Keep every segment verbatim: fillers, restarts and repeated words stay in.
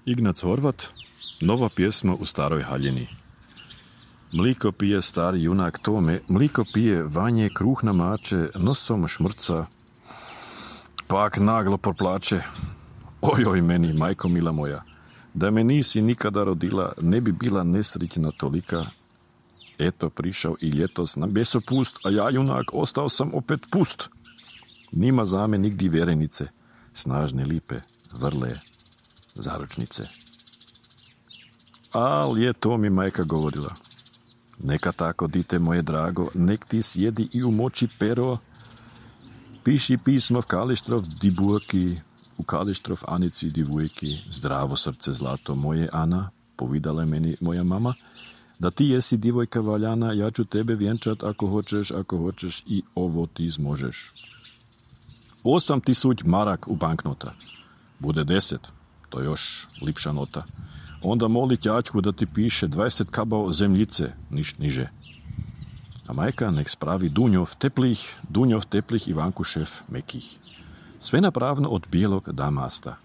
Ignac Horvat, nova pjesma u staroj haljini. Mliko pije stari junak Tome, mliko pije Vanje, kruh namače, nosom šmrca, pak naglo proplače. Ojoj meni, majko mila moja, da me nisi nikada rodila, ne bi bila nesretna tolika. Eto, prišao i ljetos na besopust, a ja junak ostao sam opet pust. Nima zame nigdje vjerenice, snažne lipe, vrle, zaručnice. Al je to mi majka govorila. Neka tako, dite moje drago, nek ti sjedi i umoči pero, piši pismo v Kalištrov dibujki, u Kalištrov Anici divujki, zdravo srce zlato moje Ana, povedala je meni moja mama, da ti jesi divojka valjana, ja ću tebe vjenčat ako hoćeš, ako hoćeš i ovo ti zmožeš. Osam tisuć marak u banknota. Bude deset, to još lipša nota. Onda moli ťaťku da ti piše dvadeset kabao zemljice, niš niže. A majka nek spravi dunjov teplih, dunjov teplih Ivankušev mekih. Sve napravno od bijelog damasta,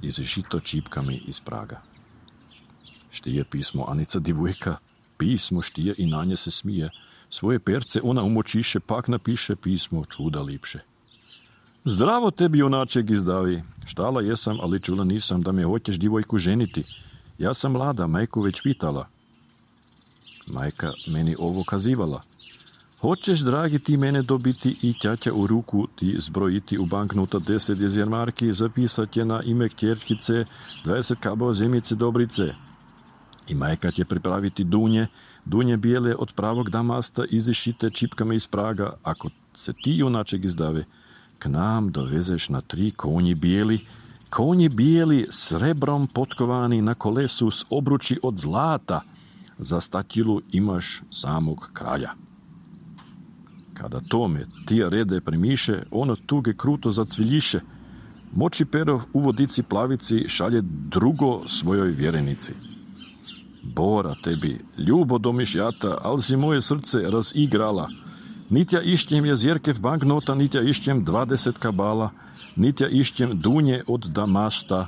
iz žito čipkami iz Praga. Štije pismo Anica divujka, pismo štije i na nje se smije. Svoje perce ona umočiše, pak napiše pismo čuda lipše. Zdravo tebi, junaček izdavi. Štala jesam, ali čula nisam da me hoćeš divojku ženiti. Ja sam mlada, majku već pitala. Majka meni ovo kazivala. Hoćeš, dragi, ti mene dobiti i ťaťa u ruku ti zbrojiti u banknota deset jezjermarki, zapisat je na ime kćerkice dvadeset kabao zemljice dobrice. I majka će pripraviti dunje, dunje bijele od pravog damasta izišite čipkama iz Praga. Ako se ti, junaček izdave, k nam dovezeš na tri konji bijeli, konji bijeli srebrom potkovani na kolesu s obruči od zlata, za statilu imaš samog kralja. Kada tome tija rede primiše, ono tuge kruto zacviljiše, moči pero u vodici plavici šalje drugo svojoj vjerenici. Bora tebi, ljubo domišljata, al si moje srce razigrala. Nitja išćem jezjerkev banknota, nitja išćem dvadeset kabala, nitja išćem dunje od damasta.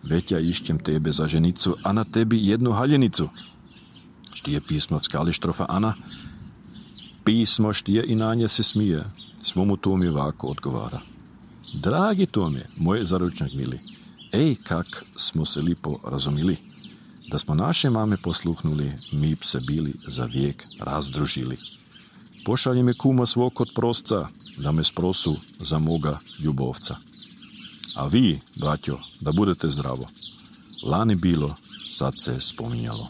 Već ja išćem tebe za ženicu, a na tebi jednu haljenicu. Štije pismo v Kalištrofa Ana, pismo štije i na nje se smije, svomu Tomi ovako odgovara. Dragi Tome, moj zaručnik mili, ej, kak smo se lipo razumili. Da smo naše mame posluhnuli, mi bi se bili za vijek razdružili. Pošalji me kuma svog kod prosca, da me sprosu za moga ljubovca. A vi, braćo, da budete zdravo. Lani bilo, sad se spominjalo.